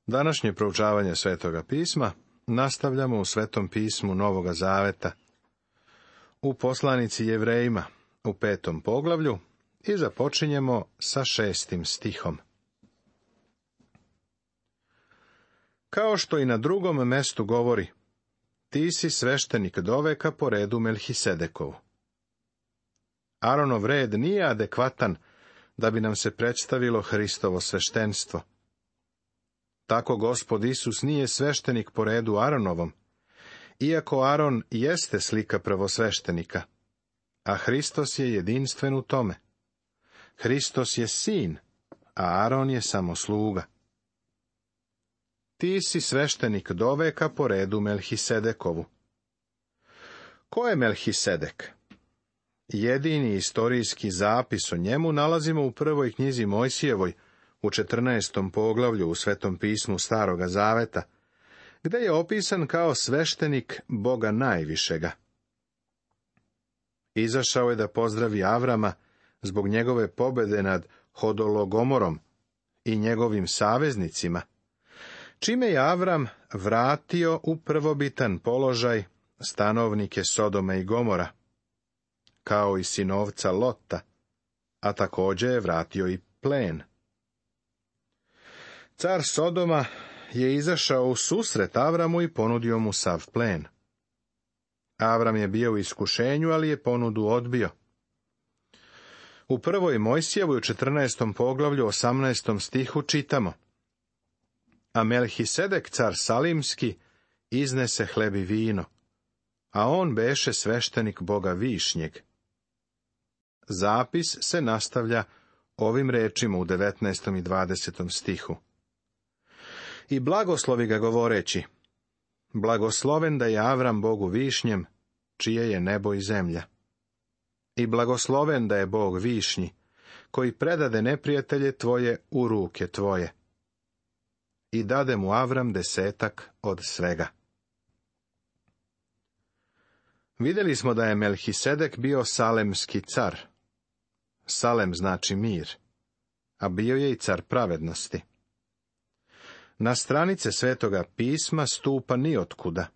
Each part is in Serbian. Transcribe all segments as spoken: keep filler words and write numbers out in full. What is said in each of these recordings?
Današnje proučavanje Svetoga pisma nastavljamo u Svetom pismu Novoga Zaveta, u poslanici Jevrejima, u petom poglavlju, i započinjemo sa šestim stihom. Kao što i na drugom mestu govori, ti si sveštenik doveka po redu Melhisedekovu. Aronov red nije adekvatan da bi nam se predstavilo Hristovo sveštenstvo. Tako Gospod Isus nije sveštenik po redu Aronovom, iako Aron jeste slika prvosveštenika, a Hristos je jedinstven u tome. Hristos je sin, a Aron je samo sluga. Ti si sveštenik doveka po redu Melhisedekovu. Ko je Melhisedek? Jedini istorijski zapis o njemu nalazimo u prvoj knjizi Mojsijevoj, u četrnaestom poglavlju u Svetom pismu Staroga Zaveta, gde je opisan kao sveštenik Boga najvišega. Izašao je da pozdravi Avrama zbog njegove pobede nad Hodologomorom i njegovim saveznicima, čime je Avram vratio u prvobitan položaj stanovnike Sodoma i Gomora, kao i sinovca Lota, a također je vratio i plen. Car Sodoma je izašao u susret Avramu i ponudio mu sav plen. Avram je bio u iskušenju, ali je ponudu odbio. U prvoj Mojsijevoj u četrnaestom poglavlju osamnaestom stihu čitamo: A Melhisedek car Salimski iznese hleb i vino, a on beše sveštenik Boga Višnjeg. Zapis se nastavlja ovim rečima u devetnaestom i dvadesetom stihu. I blagoslovi ga govoreći: Blagosloven da je Avram Bogu Višnjem, čije je nebo i zemlja. I blagosloven da je Bog Višnji, koji predade neprijatelje tvoje u ruke tvoje. I dade mu Avram desetak od svega. Vidjeli smo da je Melhisedek bio salemski car. Salem znači mir, a bio je i car pravednosti. Na stranice Svetoga pisma stupa ni otkuda.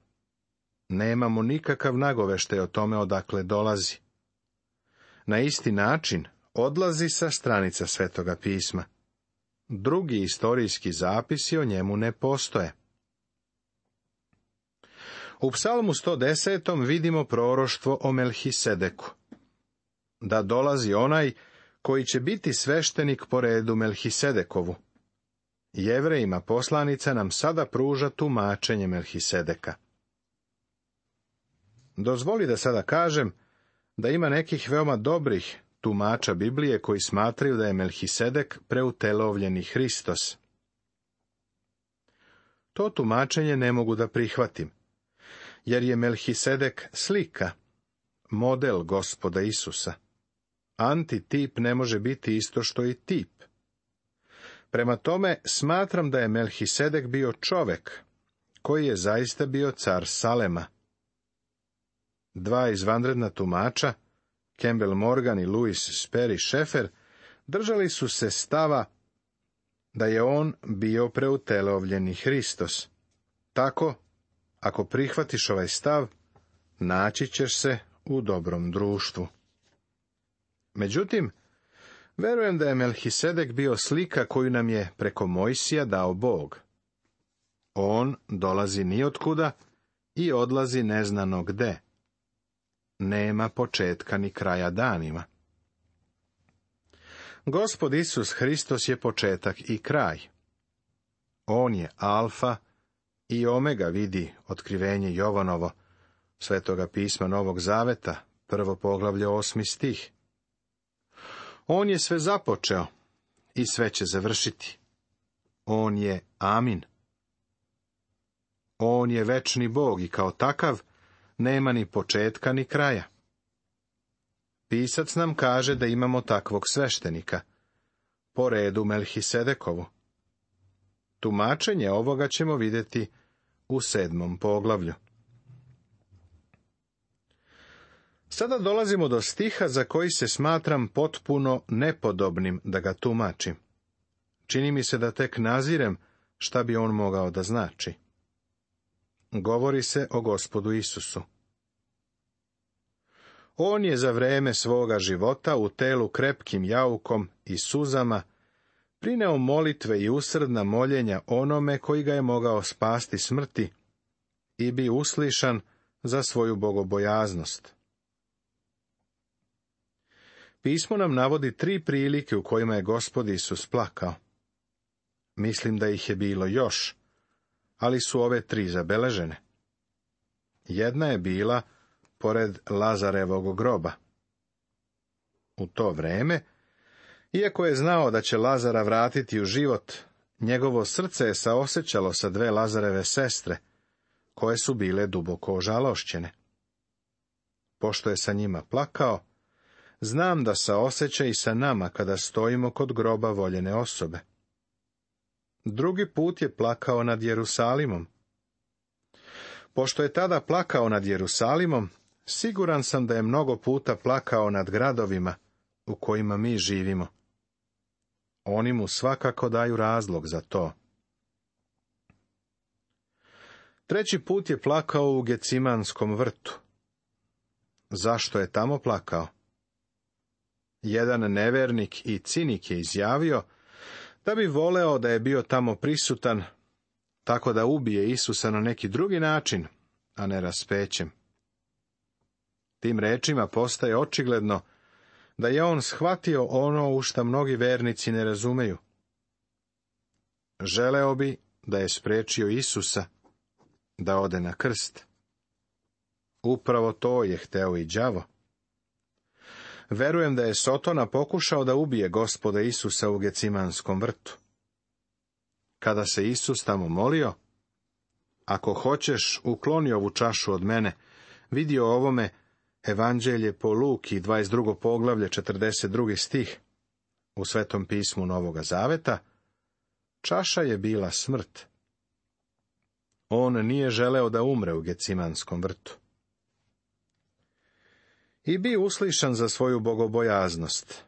Nemamo nikakav nagoveštaj o tome odakle dolazi. Na isti način odlazi sa stranica Svetoga pisma. Drugi istorijski zapisi o njemu ne postoje. U Psalmu sto desetom vidimo proroštvo o Melhisedeku. Da dolazi onaj koji će biti sveštenik po redu Melhisedekovu. Jevrejima poslanica nam sada pruža tumačenje Melhisedeka. Dozvoli da sada kažem da ima nekih veoma dobrih tumača Biblije koji smatraju da je Melhisedek preutelovljeni Hristos. To tumačenje ne mogu da prihvatim, jer je Melhisedek slika, model Gospoda Isusa. Antitip ne može biti isto što i tip. Prema tome, smatram da je Melhisedek bio čovek, koji je zaista bio car Salema. Dva izvanredna tumača, Campbell Morgan i Louis Sperry Schaeffer, držali su se stava da je on bio preutelovljeni Hristos. Tako, ako prihvatiš ovaj stav, naći ćeš se u dobrom društvu. Međutim, verujem da je Melhisedek bio slika koju nam je preko Mojsija dao Bog. On dolazi nijotkuda i odlazi neznano gde. Nema početka ni kraja danima. Gospod Isus Hristos je početak i kraj. On je alfa i omega, vidi otkrivenje Jovanovo, Svetoga pisma Novog Zaveta, prvo poglavlje, osmi stih. On je sve započeo i sve će završiti. On je Amin. On je večni Bog i kao takav nema ni početka ni kraja. Pisac nam kaže da imamo takvog sveštenika, po redu Melhisedekovu. Tumačenje ovoga ćemo vidjeti u sedmom poglavlju. Sada dolazimo do stiha za koji se smatram potpuno nepodobnim da ga tumačim. Čini mi se da tek nazirem šta bi on mogao da znači. Govori se o Gospodu Isusu. On je za vreme svoga života u telu krepkim jaukom i suzama prineo molitve i usrdna moljenja onome koji ga je mogao spasti smrti i bi uslišan za svoju bogobojaznost. Pismo nam navodi tri prilike u kojima je Gospod Isus plakao. Mislim da ih je bilo još, ali su ove tri zabeležene. Jedna je bila pored Lazarevog groba. U to vreme, iako je znao da će Lazara vratiti u život, njegovo srce je saosećalo sa dve Lazareve sestre, koje su bile duboko ožalošćene. Pošto je sa njima plakao, znam da saoseća i sa nama kada stojimo kod groba voljene osobe. Drugi put je plakao nad Jerusalimom. Pošto je tada plakao nad Jerusalimom, siguran sam da je mnogo puta plakao nad gradovima u kojima mi živimo. Oni mu svakako daju razlog za to. Treći put je plakao u Gecimanskom vrtu. Zašto je tamo plakao? Jedan nevernik i cinik je izjavio da bi voleo da je bio tamo prisutan, tako da ubije Isusa na neki drugi način, a ne raspećem. Tim rečima postaje očigledno da je on shvatio ono u šta mnogi vernici ne razumeju. Želeo bi da je sprečio Isusa da ode na krst. Upravo to je hteo i đavo. Verujem da je Sotona pokušao da ubije Gospoda Isusa u Gecimanskom vrtu. Kada se Isus tamo molio, ako hoćeš, ukloni ovu čašu od mene, vidi o ovome Evanđelje po Luki, dvadeset drugo poglavlje, četrdeset drugi stih, u Svetom pismu Novoga Zaveta, čaša je bila smrt. On nije želeo da umre u Gecimanskom vrtu. I bi uslišan za svoju bogobojaznost.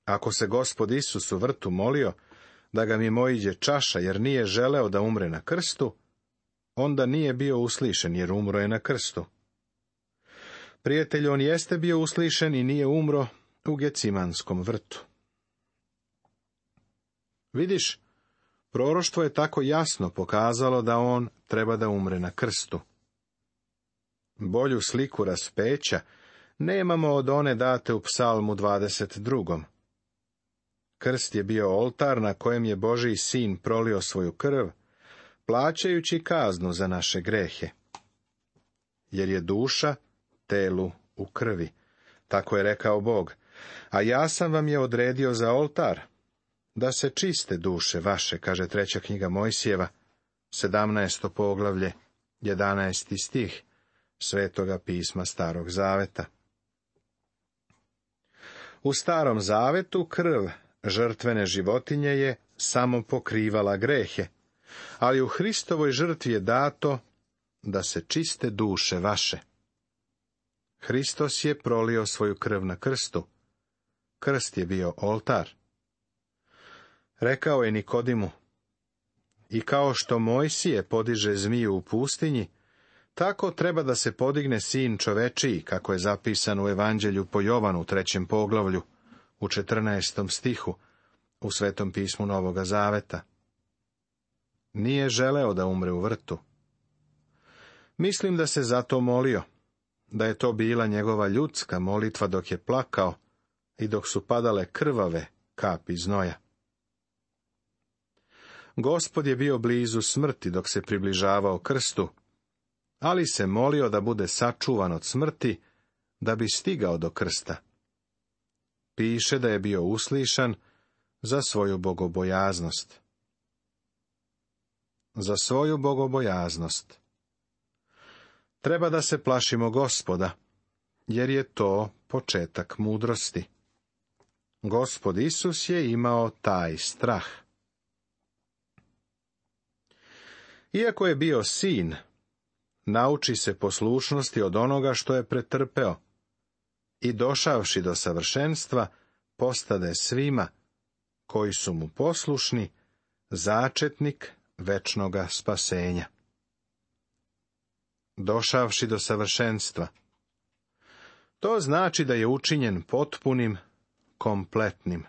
Ako se Gospod Isus u vrtu molio da ga mimoiđe čaša jer nije želeo da umre na krstu, onda nije bio uslišen jer umro je na krstu. Prijatelj, on jeste bio uslišen i nije umro u Gecimanskom vrtu. Vidiš, proroštvo je tako jasno pokazalo da on treba da umre na krstu. Bolju sliku raspeća nemamo od one date u Psalmu dvadeset drugom. Krst je bio oltar na kojem je Božji sin prolio svoju krv, plaćajući kaznu za naše grehe. Jer je duša telu u krvi, tako je rekao Bog, a ja sam vam je odredio za oltar, da se čiste duše vaše, kaže treća knjiga Mojsijeva, sedamnaesto poglavlje, jedanaesti stih, Svetoga pisma Starog Zaveta. U Starom Zavetu krv žrtvene životinje je samo pokrivala grehe, ali u Hristovoj žrtvi je dato da se čiste duše vaše. Hristos je prolio svoju krv na krstu. Krst je bio oltar. Rekao je Nikodimu, i kao što Mojsije podiže zmiju u pustinji, tako treba da se podigne sin čovečiji, kako je zapisano u Evanđelju po Jovanu u trećem poglavlju, u četrnaestom stihu, u Svetom pismu Novoga Zaveta. Nije želeo da umre u vrtu. Mislim da se zato molio, da je to bila njegova ljudska molitva dok je plakao i dok su padale krvave kapi znoja. Gospod je bio blizu smrti dok se približavao krstu, ali se molio da bude sačuvan od smrti, da bi stigao do krsta. Piše da je bio uslišan za svoju bogobojaznost. Za svoju bogobojaznost. Treba da se plašimo Gospoda, jer je to početak mudrosti. Gospod Isus je imao taj strah. Iako je bio sin, nauči se poslušnosti od onoga što je pretrpeo i došavši do savršenstva, postade svima koji su mu poslušni začetnik večnoga spasenja. Došavši do savršenstva. To znači da je učinjen potpunim, kompletnim.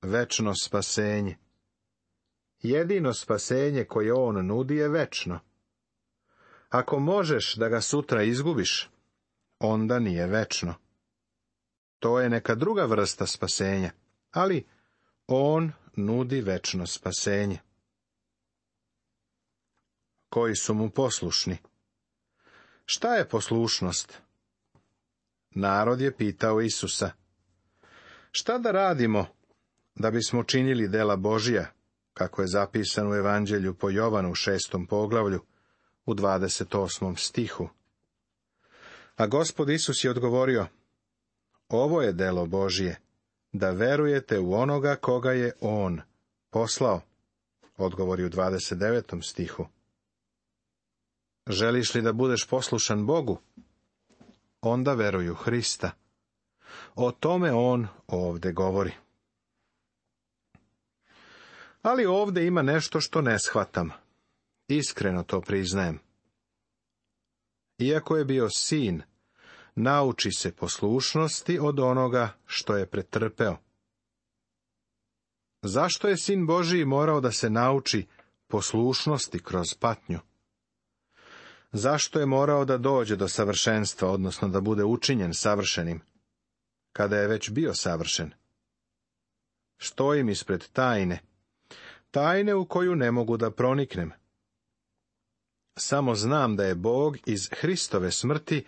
Večno spasenje. Jedino spasenje koje on nudi je večno. Ako možeš da ga sutra izgubiš, onda nije večno. To je neka druga vrsta spasenja, ali on nudi večno spasenje. Koji su mu poslušni? Šta je poslušnost? Narod je pitao Isusa. Šta da radimo da bismo činili dela Božija, kako je zapisano u Evanđelju po Jovanu u šestom poglavlju, u dvadeset osmom stihu? A Gospod Isus je odgovorio, ovo je delo Božije, da verujete u onoga koga je on poslao. Odgovori u dvadeset devetom stihu. Želiš li da budeš poslušan Bogu? Onda veruj u Hrista. O tome on ovde govori. Ali ovde ima nešto što ne shvatam. Iskreno to priznajem. Iako je bio sin, nauči se poslušnosti od onoga što je pretrpeo. Zašto je sin Božiji morao da se nauči poslušnosti kroz patnju? Zašto je morao da dođe do savršenstva, odnosno da bude učinjen savršenim, kada je već bio savršen? Stojim ispred tajne, tajne u koju ne mogu da proniknem. Samo znam da je Bog iz Hristove smrti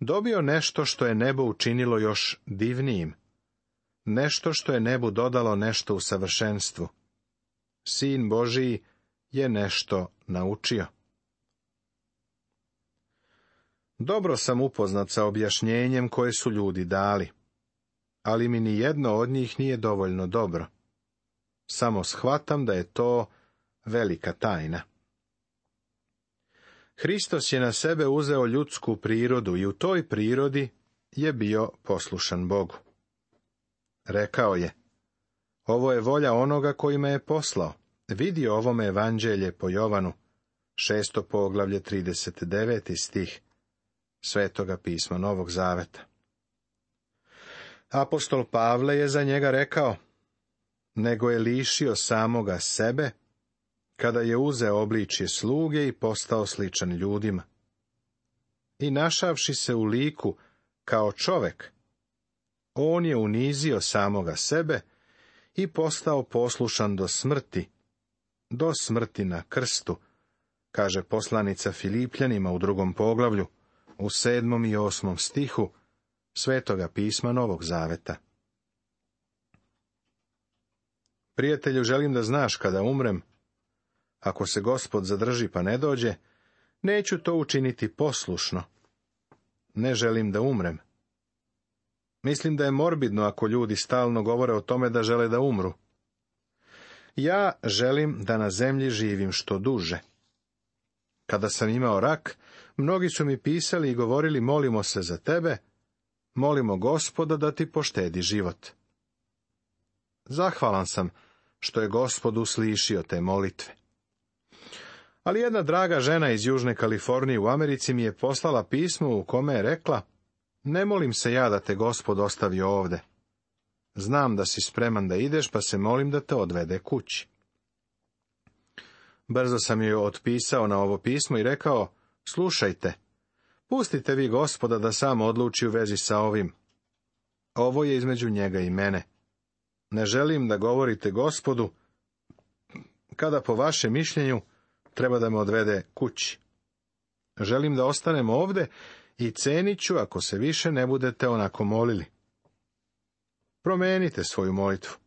dobio nešto što je nebo učinilo još divnijim, nešto što je nebu dodalo nešto u savršenstvu. Sin Božiji je nešto naučio. Dobro sam upoznat sa objašnjenjem koje su ljudi dali, ali mi ni jedno od njih nije dovoljno dobro. Samo shvatam da je to velika tajna. Hristos je na sebe uzeo ljudsku prirodu i u toj prirodi je bio poslušan Bogu. Rekao je, ovo je volja onoga koji me je poslao. Vidi ovome Evanđelje po Jovanu, šesto poglavlje, trideset deveti stih Svetoga pisma Novog Zaveta. Apostol Pavle je za njega rekao, nego je lišio samoga sebe, kada je uzeo obličje sluge i postao sličan ljudima. I našavši se u liku kao čovek, on je unizio samoga sebe i postao poslušan do smrti, do smrti na krstu, kaže poslanica Filipljanima u drugom poglavlju, u sedmom i osmom stihu Svetoga pisma Novog Zaveta. Prijatelju, želim da znaš kada umrem, ako se Gospod zadrži pa ne dođe, neću to učiniti poslušno. Ne želim da umrem. Mislim da je morbidno ako ljudi stalno govore o tome da žele da umru. Ja želim da na zemlji živim što duže. Kada sam imao rak, mnogi su mi pisali i govorili, molimo se za tebe, molimo Gospoda da ti poštedi život. Zahvalan sam što je Gospod uslišio te molitve. Ali jedna draga žena iz Južne Kalifornije u Americi mi je poslala pismo u kome je rekla, ne molim se ja da te Gospod ostavi ovde. Znam da si spreman da ideš, pa se molim da te odvede kući. Brzo sam joj otpisao na ovo pismo i rekao, slušajte, pustite vi Gospoda da sam odluči u vezi sa ovim. Ovo je između njega i mene. Ne želim da govorite Gospodu, kada po vašem mišljenju treba da me odvede kući. Želim da ostanem ovde i cenit ću ako se više ne budete onako molili. Promenite svoju molitvu.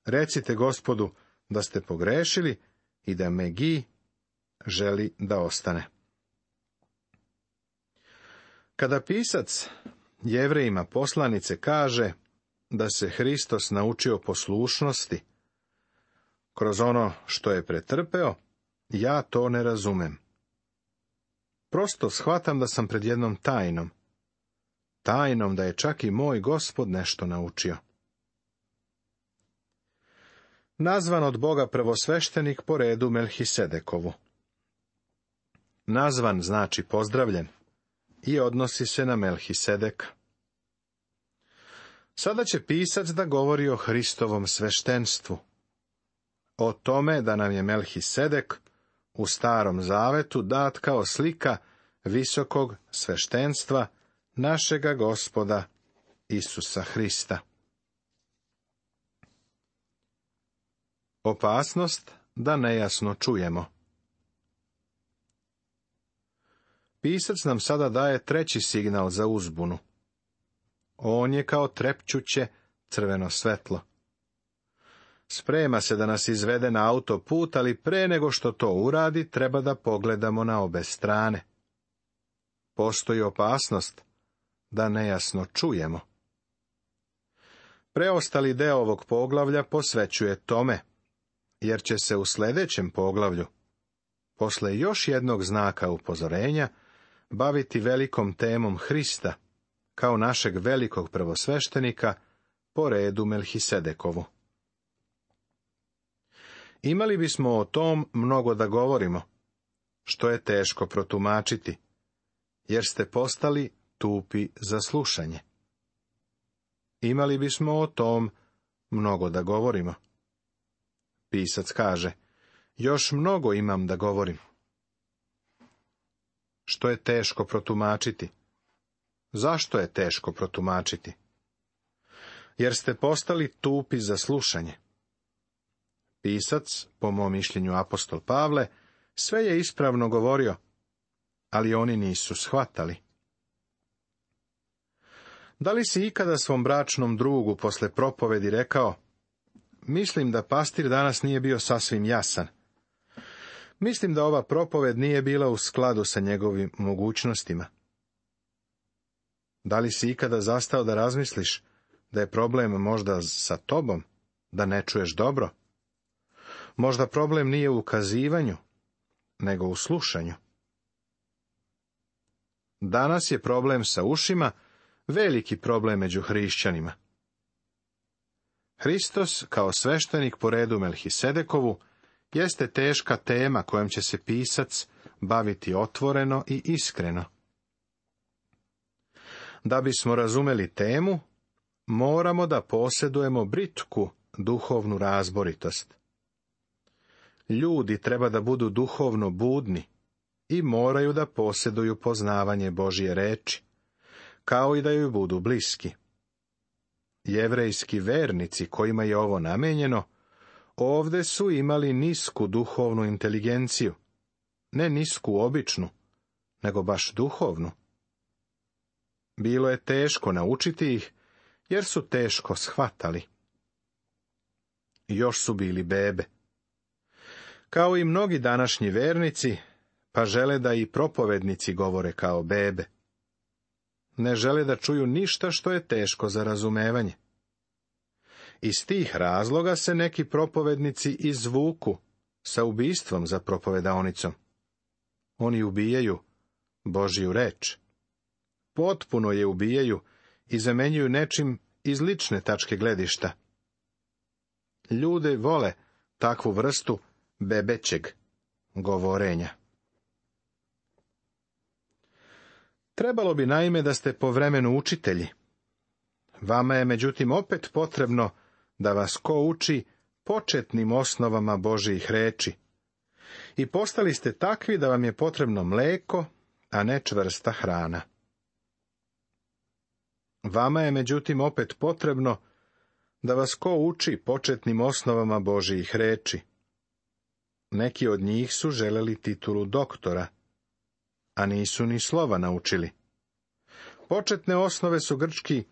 Recite Gospodu da ste pogrešili i da Megi želi da ostane. Kada pisac Jevrejima poslanice kaže da se Hristos naučio poslušnosti kroz ono što je pretrpeo, ja to ne razumem. Prosto shvatam da sam pred jednom tajnom. Tajnom da je čak i moj Gospod nešto naučio. nazvan od Boga prvosveštenik po redu Melhisedekovu. Nazvan znači pozdravljen i odnosi se na Melhisedeka. Sada će pisac da govori o Hristovom sveštenstvu, o tome da nam je Melhisedek u Starom zavetu dat kao slika visokog sveštenstva našega Gospoda Isusa Hrista. Opasnost da nejasno čujemo. Pisac nam sada daje treći signal za uzbunu. On je kao trepćuće crveno svetlo. Sprema se da nas izvede na autoput, ali pre nego što to uradi, treba da pogledamo na obe strane. Postoji opasnost da nejasno čujemo. Preostali deo ovog poglavlja posvećuje tome, jer će se u sljedećem poglavlju, posle još jednog znaka upozorenja, baviti velikom temom Hrista, kao našeg velikog prvosveštenika, po redu Melhisedekovu. Imali bismo o tom mnogo da govorimo, što je teško protumačiti, jer ste postali tupi za slušanje. Imali bismo o tom mnogo da govorimo. Pisac kaže, još mnogo imam da govorim. Što je teško protumačiti? Zašto je teško protumačiti? Jer ste postali tupi za slušanje. Pisac, po mom mišljenju apostol Pavle, sve je ispravno govorio, ali oni nisu shvatali. Da li si ikada svom bračnom drugu posle propovedi rekao, mislim da pastir danas nije bio sasvim jasan. Mislim da ova propoved nije bila u skladu sa njegovim mogućnostima. Da li si ikada zastao da razmisliš da je problem možda sa tobom, da ne čuješ dobro? Možda problem nije u ukazivanju, nego u slušanju. Danas je problem sa ušima veliki problem među hrišćanima. Hristos, kao sveštenik po redu Melhisedekovu, jeste teška tema kojom će se pisac baviti otvoreno i iskreno. Da bismo razumeli temu, moramo da posjedujemo britku duhovnu razboritost. Ljudi treba da budu duhovno budni i moraju da posjeduju poznavanje Božje reči, kao i da joj budu bliski. Jevrejski vernici kojima je ovo namenjeno, ovde su imali nisku duhovnu inteligenciju, ne nisku običnu, nego baš duhovnu. Bilo je teško naučiti ih, jer su teško shvatali. Još su bili bebe. Kao i mnogi današnji vernici, pa žele da i propovednici govore kao bebe. Ne žele da čuju ništa što je teško za razumevanje. Iz tih razloga se neki propovednici izvuku sa ubistvom za propovedaonicom. Oni ubijaju Božju reč. Potpuno je ubijaju i zamenjuju nečim iz lične tačke gledišta. Ljude vole takvu vrstu bebećeg govorenja. Trebalo bi naime da ste po vremenu učitelji. Vama je međutim opet potrebno da vas ko uči početnim osnovama Božjih reči. I postali ste takvi da vam je potrebno mleko, a ne čvrsta hrana. Vama je međutim opet potrebno da vas ko uči početnim osnovama Božjih reči. Neki od njih su želeli titulu doktora, a nisu ni slova naučili. Početne osnove su grčki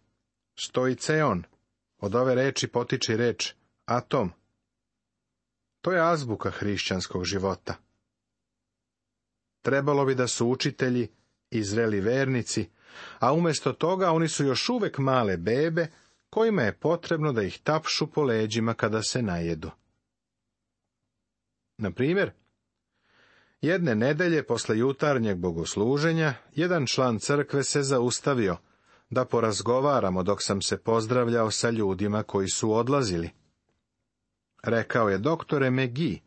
stoiceon, od ove reči potiče reč atom. To je azbuka hrišćanskog života. Trebalo bi da su učitelji i zreli vernici, a umjesto toga oni su još uvek male bebe, kojima je potrebno da ih tapšu po leđima kada se najedu. Na primjer, jedne nedelje posle jutarnjeg bogosluženja, jedan član crkve se zaustavio da porazgovaramo dok sam se pozdravljao sa ljudima koji su odlazili. Rekao je: doktore Megi,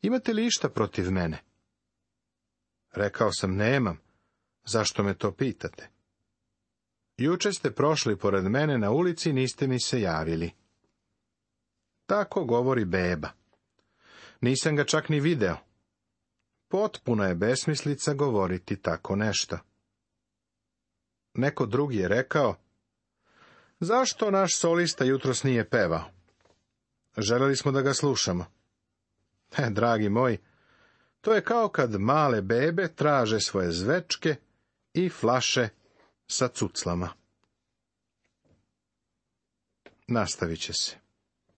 imate li išta protiv mene? Rekao sam: nemam. Zašto me to pitate? Juče ste prošli pored mene na ulici, niste mi se javili. Tako govori beba. Nisam ga čak ni video. Potpuna je besmislica govoriti tako nešto. Neko drugi je rekao: zašto naš solista jutros nije pevao? Želeli smo da ga slušamo. E, dragi moji, to je kao kad male bebe traže svoje zvečke i flaše sa cuclama. Nastavit će se.